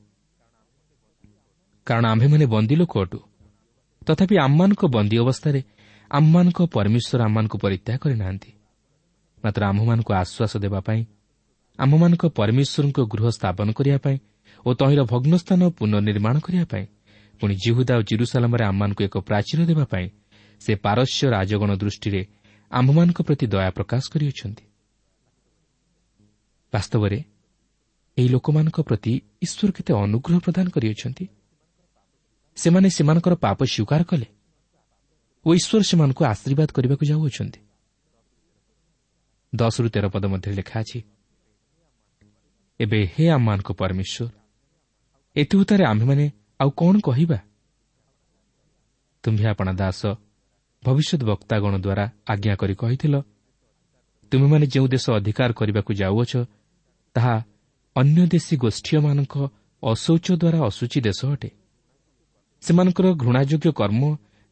କାରଣ ଆମ୍ଭେମାନେ ବନ୍ଦୀ ଲୋକ ଅଟୁ, ତଥାପି ଆମମାନଙ୍କ ବନ୍ଦୀ ଅବସ୍ଥାରେ ଆମମାନଙ୍କ ପରମେଶ୍ୱର ଆମମାନଙ୍କୁ ପରିତ୍ୟାଗ କରିନାହାନ୍ତି, ମାତ୍ର ଆମ୍ଭମାନଙ୍କୁ ଆଶ୍ୱାସ ଦେବା ପାଇଁ, ଆମ୍ଭମାନଙ୍କ ପରମେଶ୍ୱରଙ୍କ ଗୃହ ସ୍ଥାପନ କରିବା ପାଇଁ ଓ ତହିଁର ଭଗ୍ନସ୍ଥାନ ପୁନର୍ନିର୍ମାଣ କରିବା ପାଇଁ, ପୁଣି ଯିହୁଦା ଓ ଜିରୁସାଲାମରେ ଆମମାନଙ୍କୁ ଏକ ପ୍ରାଚୀର ଦେବା ପାଇଁ ସେ ପାରସ୍ୟ ରାଜଗଣ ଦୃଷ୍ଟିରେ ଆମ୍ଭମାନଙ୍କ ପ୍ରତି ଦୟା ପ୍ରକାଶ କରିଅଛନ୍ତି। ବାସ୍ତବରେ ଏହି ଲୋକମାନଙ୍କ ପ୍ରତି ଈଶ୍ୱର କେତେ ଅନୁଗ୍ରହ ପ୍ରଦାନ କରିଅଛନ୍ତି। ସେମାନେ ସେମାନଙ୍କର ପାପ ସ୍ୱୀକାର କଲେ ଓ ଈଶ୍ୱର ସେମାନଙ୍କୁ ଆଶୀର୍ବାଦ କରିବାକୁ ଯାଉଅଛନ୍ତି। 10-13 ପଦ ମଧ୍ୟରେ ଲେଖା ଅଛି, ଏବେ ହେ ଆମମାନଙ୍କ ପରମେଶ୍ୱର, ଏଥିଉତ୍ତାରେ ଆମ୍ଭେମାନେ ଆଉ କ'ଣ କହିବା? ତୁମ୍ଭେ ଆପଣା ଦାସ ଭବିଷ୍ୟତ ବକ୍ତାଗଣ ଦ୍ୱାରା ଆଜ୍ଞା କରି କହିଥିଲ, ତୁମେମାନେ ଯେଉଁ ଦେଶ ଅଧିକାର କରିବାକୁ ଯାଉଅଛ ତାହା ଅନ୍ୟ ଦେଶୀ ଗୋଷ୍ଠୀୟମାନଙ୍କ ଅଶୌଚ ଦ୍ୱାରା ଅଶୁଚି ଦେଶ ଅଟେ। ସେମାନଙ୍କର ଘୃଣାଯୋଗ୍ୟ କର୍ମ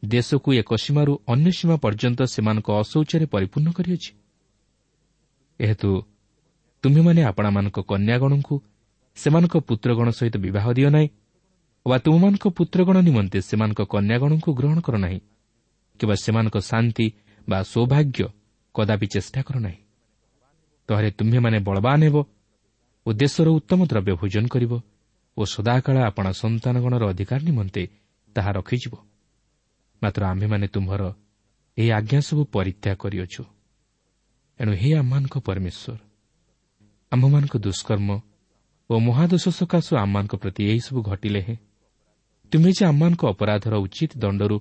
ଦେଶକୁ ଏକ ସୀମାରୁ ଅନ୍ୟ ସୀମା ପର୍ଯ୍ୟନ୍ତ ସେମାନଙ୍କ ଅଶୌଚରେ ପରିପୂର୍ଣ୍ଣ କରିଅଛି। ଏହେତୁ ତୁମ୍ଭେମାନେ ଆପଣାମାନଙ୍କ କନ୍ୟାଗଣଙ୍କୁ ସେମାନଙ୍କ ପୁତ୍ରଗଣ ସହିତ ବିବାହ ଦିଅ ନାହିଁ ବା ତୁମମାନଙ୍କ ପୁତ୍ରଗଣ ନିମନ୍ତେ ସେମାନଙ୍କ କନ୍ୟାଗଣଙ୍କୁ ଗ୍ରହଣ କର ନାହିଁ କିମ୍ବା ସେମାନଙ୍କ ଶାନ୍ତି ବା ସୌଭାଗ୍ୟ କଦାପି ଚେଷ୍ଟା କର ନାହିଁ। ତହରେ ତୁମ୍ଭେମାନେ ବଳବାନ ହେବ ଓ ଦେଶର ଉତ୍ତମ ଦ୍ରବ୍ୟ ଭୋଜନ କରିବ ଓ ସଦାକାଳ ଆପଣା ସନ୍ତାନଗଣର ଅଧିକାର ନିମନ୍ତେ ତାହା ରଖିଯିବ। ମାତ୍ର ଆମ୍ଭେମାନେ ତୁମ୍ଭର ଏହି ଆଜ୍ଞା ସବୁ ପରିତ୍ୟାଗ କରିଅଛୁ। ଏଣୁ ହେ ଆମମାନଙ୍କ ପରମେଶ୍ୱର, ଆମ୍ଭମାନଙ୍କ ଦୁଷ୍କର୍ମ ଓ ମହାଦୋଷ ସକାଶୁ ଆମମାନଙ୍କ ପ୍ରତି ଏହିସବୁ ଘଟିଲେ ହେଁ ତୁମେ ଯେ ଆମମାନଙ୍କ ଅପରାଧର ଉଚିତ ଦଣ୍ଡରୁ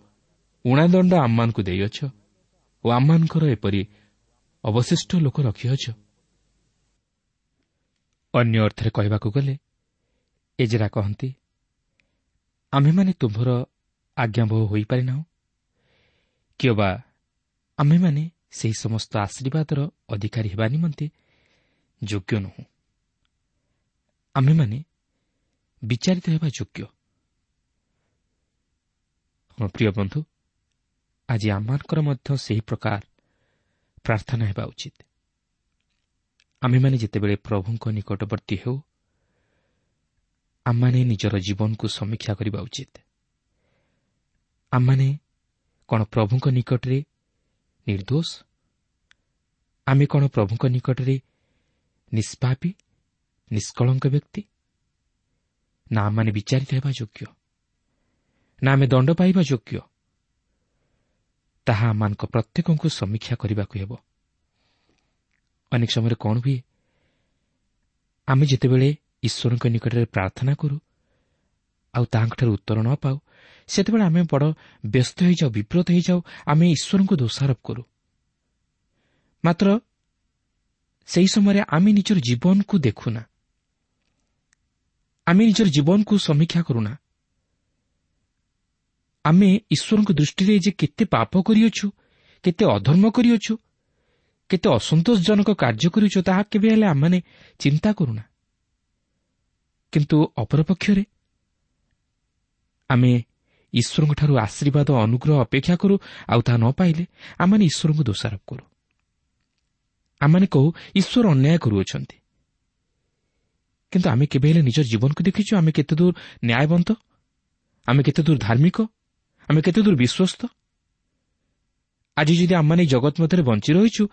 ଉଣାଦଣ୍ଡ ଆମମାନଙ୍କୁ ଦେଇଅଛ ଓ ଆମମାନଙ୍କର ଏପରି ଅବଶିଷ୍ଟ ଲୋକ ରଖିଅଛ। ଅନ୍ୟ ଅର୍ଥରେ କହିବାକୁ ଗଲେ ଏଜରା କହନ୍ତି, ଆମ୍ଭେମାନେ ତୁମ୍ଭର ଆଜ୍ଞାବହ ହୋଇପାରିନାହୁଁ କିମ୍ବା ଆମ୍ଭେମାନେ ସେହି ସମସ୍ତ ଆଶୀର୍ବାଦର ଅଧିକାରୀ ହେବା ନିମନ୍ତେ ଯୋଗ୍ୟ ନୋହୁଁ। ଆମ୍ଭେମାନେ ବିଚାରିତ ହେବା ଯୋଗ୍ୟ। ହଁ ପ୍ରିୟ ବନ୍ଧୁ, ଆଜି ଆମମାନଙ୍କର ମଧ୍ୟ ସେହି ପ୍ରକାର ପ୍ରାର୍ଥନା ହେବା ଉଚିତ। ଆମ୍ଭେମାନେ ଯେତେବେଳେ ପ୍ରଭୁଙ୍କ ନିକଟବର୍ତ୍ତୀ ହେଉ, ଆମମାନେ ନିଜର ଜୀବନକୁ ସମୀକ୍ଷା କରିବା ଉଚିତ। ଆମମାନେ କ'ଣ ପ୍ରଭୁଙ୍କ ନିକଟରେ ନିର୍ଦ୍ଦୋଷ? ଆମେ କ'ଣ ପ୍ରଭୁଙ୍କ ନିକଟରେ ନିଷ୍ପାପୀ, ନିଷ୍କଳଙ୍କ ବ୍ୟକ୍ତି? ନା ଆମମାନେ ବିଚାରିତ ହେବା ଯୋଗ୍ୟ, ନା ଆମେ ଦଣ୍ଡ ପାଇବା ଯୋଗ୍ୟ? ତାହା ଆମମାନଙ୍କ ପ୍ରତ୍ୟେକଙ୍କୁ ସମୀକ୍ଷା କରିବାକୁ ହେବ। ଅନେକ ସମୟରେ କ'ଣ ହୁଏ, ଆମେ ଯେତେବେଳେ ଈଶ୍ୱରଙ୍କ ନିକଟରେ ପ୍ରାର୍ଥନା କରୁ ଆଉ ତାହାଙ୍କଠାରୁ ଉତ୍ତର ନ ପାଉ, ସେତେବେଳେ ଆମେ ବଡ଼ ବ୍ୟସ୍ତ ହୋଇଯାଉ, ବିବ୍ରତ ହୋଇଯାଉ, ଆମେ ଈଶ୍ୱରଙ୍କୁ ଦୋଷାରୋପ କରୁ। ମାତ୍ର ସେହି ସମୟରେ ଆମେ ନିଜର ଜୀବନକୁ ଦେଖୁନା, ଆମେ ନିଜର ଜୀବନକୁ ସମୀକ୍ଷା କରୁନା। ଆମେ ଈଶ୍ୱରଙ୍କ ଦୃଷ୍ଟିରେ ଯେ କେତେ ପାପ କରିଅଛୁ, କେତେ ଅଧର୍ମ କରିଅଛୁ, କେତେ ଅସନ୍ତୋଷଜନକ କାର୍ଯ୍ୟ କରିଅଛୁ, ତାହା କେବେ ହେଲେ ଆମମାନେ ଚିନ୍ତା କରୁନା। କିନ୍ତୁ ଅପରପକ୍ଷରେ ଆମେ ଈଶ୍ୱରଙ୍କଠାରୁ ଆଶୀର୍ବାଦ ଅନୁଗ୍ରହ ଅପେକ୍ଷା କରୁ, ଆଉ ତାହା ନ ପାଇଲେ ଆମମାନେ ଈଶ୍ୱରଙ୍କୁ ଦୋଷାରୋପ କରୁ। ଆମମାନେ କହୁ ଈଶ୍ୱର ଅନ୍ୟାୟ କରୁଅଛନ୍ତି। କିନ୍ତୁ ଆମେ କେବେ ହେଲେ ନିଜର ଜୀବନକୁ ଦେଖିଛୁ? ଆମେ କେତେ ଦୂର ନ୍ୟାୟବନ୍ତ, ଆମେ କେତେ ଦୂର ଧାର୍ମିକ, ଆମେ କେତେ ଦୂର ବିଶ୍ୱସ୍ତ? ଆଜି ଯଦି ଆମମାନେ ଜଗତ ମଧ୍ୟରେ ବଞ୍ଚି ରହିଛୁ,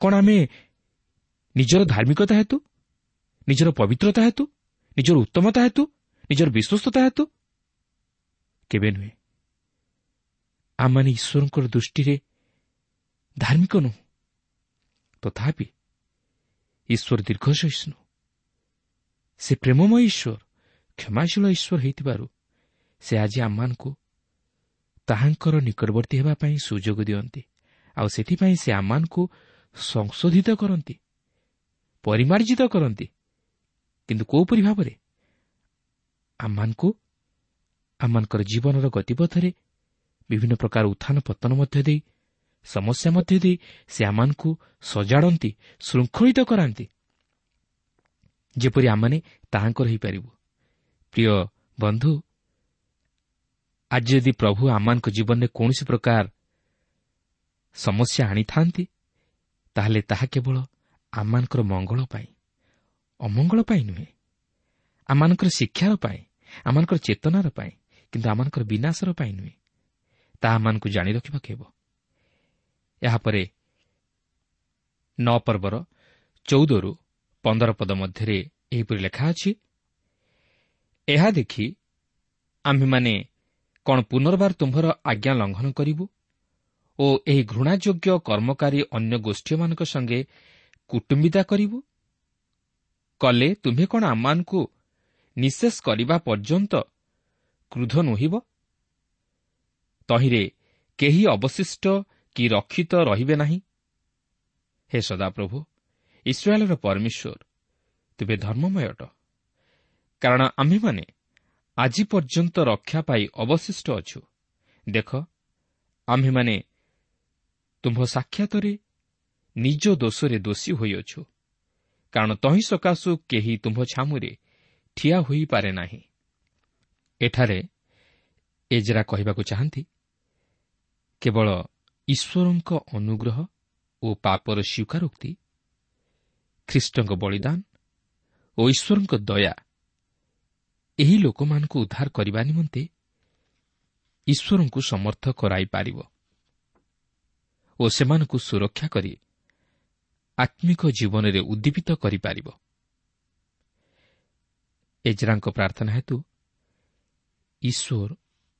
କ'ଣ ଆମେ ନିଜର ଧାର୍ମିକତା ହେତୁ, ନିଜର ପବିତ୍ରତା ହେତୁ, ନିଜର ଉତ୍ତମତା ହେତୁ, ନିଜର ବିଶ୍ୱସ୍ତତା ହେତୁ? କେବେ ନୁହେଁ। ଆମମାନେ ଈଶ୍ୱରଙ୍କର ଦୃଷ୍ଟିରେ ଧାର୍ମିକ ନୁହଁ, ତଥାପି ଈଶ୍ୱର ଦୀର୍ଘସହିଷ୍ଣୁ, ସେ ପ୍ରେମମୟ ଈଶ୍ୱର, କ୍ଷମାଶୀଳ ଈଶ୍ୱର ହୋଇଥିବାରୁ ସେ ଆଜି ଆମମାନଙ୍କୁ ତାହାଙ୍କର ନିକଟବର୍ତ୍ତୀ ହେବା ପାଇଁ ସୁଯୋଗ ଦିଅନ୍ତି। ଆଉ ସେଥିପାଇଁ ସେ ଆମମାନଙ୍କୁ ସଂଶୋଧିତ କରନ୍ତି, ପରିମାର୍ଜିତ କରନ୍ତି। କିନ୍ତୁ କୋଉପରି ଭାବରେ? ଆମମାନଙ୍କୁ ଆମମାନଙ୍କର ଜୀବନର ଗତିପଥରେ ବିଭିନ୍ନ ପ୍ରକାର ଉତ୍ଥାନ ପତନ ମଧ୍ୟ ଦେଇ, ସମସ୍ୟା ମଧ୍ୟ ଦେଇ ସେ ଆମମାନଙ୍କୁ ସଜାଡ଼ନ୍ତି, ଶୃଙ୍ଖଳିତ କରାନ୍ତି, ଯେପରି ଆମମାନେ ତାହାଙ୍କର ହୋଇପାରିବୁ। ପ୍ରିୟ ବନ୍ଧୁ, ଆଜି ଯଦି ପ୍ରଭୁ ଆମମାନଙ୍କ ଜୀବନରେ କୌଣସି ପ୍ରକାର ସମସ୍ୟା ଆଣିଥାନ୍ତି, ତାହେଲେ ତାହା କେବଳ ଆମମାନଙ୍କର ମଙ୍ଗଳ ପାଇଁ, ଅମଙ୍ଗଳ ପାଇଁ ନୁହେଁ। ଆମମାନଙ୍କର ଶିକ୍ଷାର ପାଇଁ, ଆମମାନଙ୍କର ଚେତନାର ପାଇଁ, କିନ୍ତୁ ଆମମାନଙ୍କର ବିନାଶର ପାଇଁ ନୁହେଁ। ତାହା ଆମମାନଙ୍କୁ ଜାଣି ରଖିବାକୁ ହେବ। ଏହାପରେ 9 ପର୍ବର 14-15 ପଦ ମଧ୍ୟରେ ଏହିପରି ଲେଖା ଅଛି, ଏହା ଦେଖି ଆମ୍ଭେମାନେ କ'ଣ ପୁନର୍ବାର ତୁମ୍ଭର ଆଜ୍ଞା ଲଙ୍ଘନ କରିବୁ ଓ ଏହି ଘୃଣାଯୋଗ୍ୟ କର୍ମକାରୀ ଅନ୍ୟ ଗୋଷ୍ଠୀମାନଙ୍କ ସଙ୍ଗେ କୁଟୁମ୍ବିତା କରିବୁ? କଲେ ତୁମ୍ଭେ କ'ଣ ଆମମାନଙ୍କୁ ନିଶେଷ କରିବା ପର୍ଯ୍ୟନ୍ତ କ୍ରୁଧ ନୋହିବ? ତହିଁରେ କେହି ଅବଶିଷ୍ଟ କି ରକ୍ଷିତ ରହିବେ ନାହିଁ। ହେ ସଦାପ୍ରଭୁ, ଇସ୍ରାଏଲର ପରମେଶ୍ୱର, ତୁମେ ଧର୍ମମୟ ଅଟ, କାରଣ ଆମ୍ଭେମାନେ ଆଜି ପର୍ଯ୍ୟନ୍ତ ରକ୍ଷା ପାଇ ଅବଶିଷ୍ଟ ଅଛୁ। ଦେଖ, ଆମ୍ଭେମାନେ ତୁମ୍ଭ ସାକ୍ଷାତରେ ନିଜ ଦୋଷରେ ଦୋଷୀ ହୋଇଅଛୁ, କାରଣ ତହିଁ ସକାଶୁ କେହି ତୁମ୍ଭ ଛାମୁରେ ଠିଆ ହୋଇପାରେ ନାହିଁ। ଏଠାରେ ଏଜରା କହିବାକୁ ଚାହାନ୍ତି, କେବଳ ଈଶ୍ୱରଙ୍କ ଅନୁଗ୍ରହ ଓ ପାପର ସ୍ୱୀକାରୋକ୍ତି, ଖ୍ରୀଷ୍ଟଙ୍କ ବଳିଦାନ ଓ ଈଶ୍ୱରଙ୍କ ଦୟା ଏହି ଲୋକମାନଙ୍କୁ ଉଦ୍ଧାର କରିବା ନିମନ୍ତେ ଈଶ୍ୱରଙ୍କୁ ସମର୍ଥ କରାଇପାରିବ ଓ ସେମାନଙ୍କୁ ସୁରକ୍ଷା କରି ଆତ୍ମିକ ଜୀବନରେ ଉଦ୍ଦୀପିତ କରିପାରିବ। ଏଜରାଙ୍କ ପ୍ରାର୍ଥନା ହେତୁ ଈଶ୍ୱର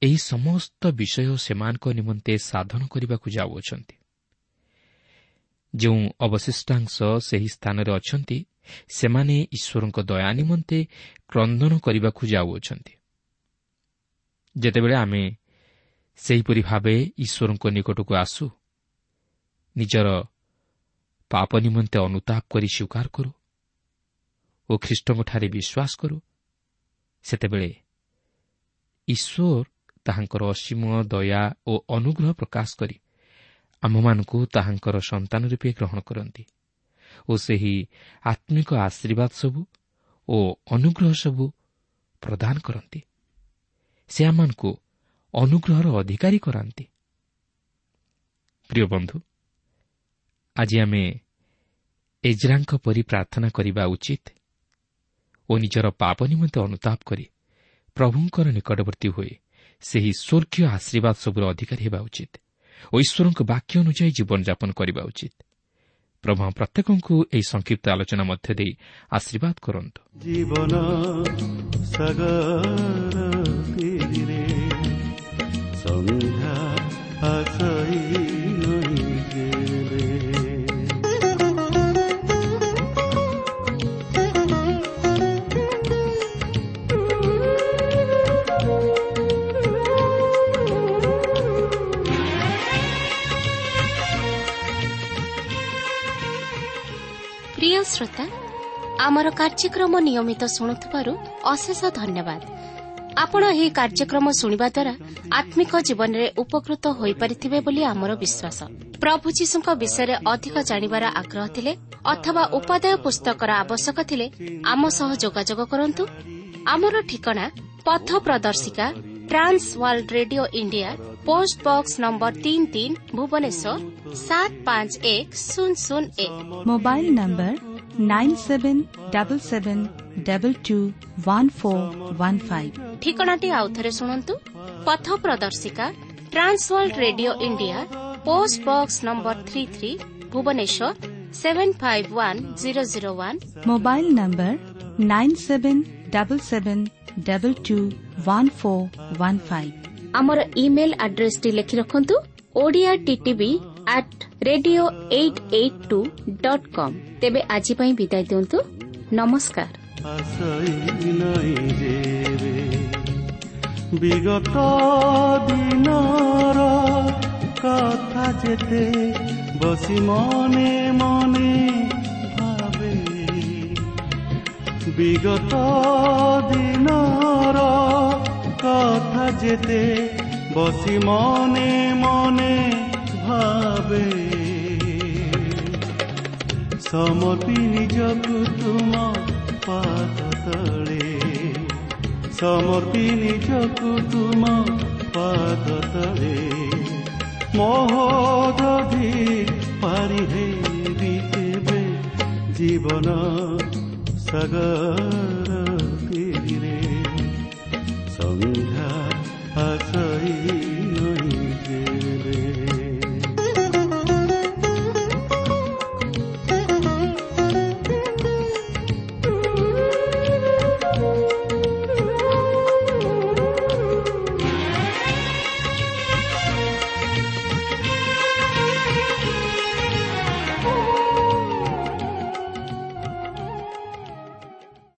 ଏହି ସମସ୍ତ ବିଷୟ ସେମାନଙ୍କ ନିମନ୍ତେ ସାଧନ କରିବାକୁ ଯାଉଅଛନ୍ତି। ଯେଉଁ ଅବଶିଷ୍ଟାଂଶ ସେହି ସ୍ଥାନରେ ଅଛନ୍ତି, ସେମାନେ ଈଶ୍ୱରଙ୍କ ଦୟା ନିମନ୍ତେ କ୍ରନ୍ଦନ କରିବାକୁ ଯାଉଅଛନ୍ତି। ଯେତେବେଳେ ଆମେ ସେହିପରି ଭାବେ ଈଶ୍ୱରଙ୍କ ନିକଟକୁ ଆସୁ, ନିଜର ପାପ ନିମନ୍ତେ ଅନୁତାପ କରି ସ୍ୱୀକାର କରୁ ଓ ଖ୍ରୀଷ୍ଟଙ୍କଠାରେ ବିଶ୍ୱାସ କରୁ, ସେତେବେଳେ ଈଶ୍ୱର ତାହାଙ୍କର ଅସୀମ ଦୟା ଓ ଅନୁଗ୍ରହ ପ୍ରକାଶ କରି ଆମ୍ଭମାନଙ୍କୁ ତାହାଙ୍କର ସନ୍ତାନ ରୂପେ ଗ୍ରହଣ କରନ୍ତି ଓ ସେହି ଆତ୍ମିକ ଆଶୀର୍ବାଦ ସବୁ ଓ ଅନୁଗ୍ରହ ସବୁ ପ୍ରଦାନ କରନ୍ତି। ସେ ଆମମାନଙ୍କୁ ଅନୁଗ୍ରହର ଅଧିକାରୀ କରାନ୍ତି। ପ୍ରିୟ ବନ୍ଧୁ, ଆଜି ଆମେ ଏଜ୍ରାଙ୍କ ପରି ପ୍ରାର୍ଥନା କରିବା ଉଚିତ ଓ ନିଜର ପାପ ନିମନ୍ତେ ଅନୁତାପ କରି ପ୍ରଭୁଙ୍କର ନିକଟବର୍ତ୍ତୀ ହୋଇ ସେହି ସ୍ୱର୍ଗୀୟ ଆଶୀର୍ବାଦ ସବୁର ଅଧିକାରୀ ହେବା ଉଚିତ ଓ ଈଶ୍ୱରଙ୍କ ବାକ୍ୟ ଅନୁଯାୟୀ ଜୀବନଯାପନ କରିବା ଉଚିତ। ପ୍ରଭୁ ପ୍ରତ୍ୟେକଙ୍କୁ ଏହି ସଂକ୍ଷିପ୍ତ ଆଲୋଚନା ମଧ୍ୟ ଦେଇ ଆଶୀର୍ବାଦ କରନ୍ତୁ। ଜୀବନ ସାଗର ତୀରେ ସନ୍ଧ୍ୟା ଆସଇ ନଇଁ ଯେବେ। ପ୍ରିୟ ଶ୍ରୋତା, ଆମର କାର୍ଯ୍ୟକ୍ରମ ନିୟମିତ ଶୁଣୁଥିବାରୁ ଅଶେଷ ଧନ୍ୟବାଦ। ଆପଣ ଏହି କାର୍ଯ୍ୟକ୍ରମ ଶୁଣିବା ଦ୍ୱାରା ଆତ୍ମିକ ଜୀବନରେ ଉପକୃତ ହୋଇପାରିଥିବେ ବୋଲି ଆମର ବିଶ୍ୱାସ। ପ୍ରଭୁ ଯୀଶୁଙ୍କ ବିଷୟରେ ଅଧିକ ଜାଣିବାର ଆଗ୍ରହ ଥିଲେ ଅଥବା ଉପାଦେୟ ପୁସ୍ତକର ଆବଶ୍ୟକ ଥିଲେ ଆମ ସହ ଯୋଗାଯୋଗ କରନ୍ତୁ। ଆମର ଠିକଣା ପଥ ପ୍ରଦର୍ଶିକା, Trans World Radio India, post box number 33, Bhubaneswar 751001। Mobile number 9777221415। ଠିକଣାଟି ଆଉଥରେ ଶୁଣନ୍ତୁ। ପଥ ପ୍ରଦର୍ଶିକା, Trans World Radio India, post box number 33, Bhubaneswar 751001। Mobile number 9777221415। ଆମର ଇମେଲ୍ ଆଡ୍ରେସଟି ଲେଖି ରଖନ୍ତୁ, Odia TTV at radio 882.com। ତେବେ ଆଜି ପାଇଁ ବିଦାୟ ଦିଅନ୍ତୁ। ନମସ୍କାର। ଆସଇ ନାଇଁ ଯେବେ ବିଗତ ଦିନର କଥା ଯେତେ ବସି ମନେ ମନେ ଭାବେ, ବିଗତ ଦିନର କଥା ଯେତେ ବସି ମନେ ମନେ ଭାବେ, ସମର୍ପି ନିଜକୁ ତୁମ ପାଦ ତଳେ, ସମର୍ପି ନିଜକୁ ତୁମ ପାଦ ତଳେ, ମହୋଦଧି ପାରି ହେବି କେବେ ଜୀବନ ସାଗର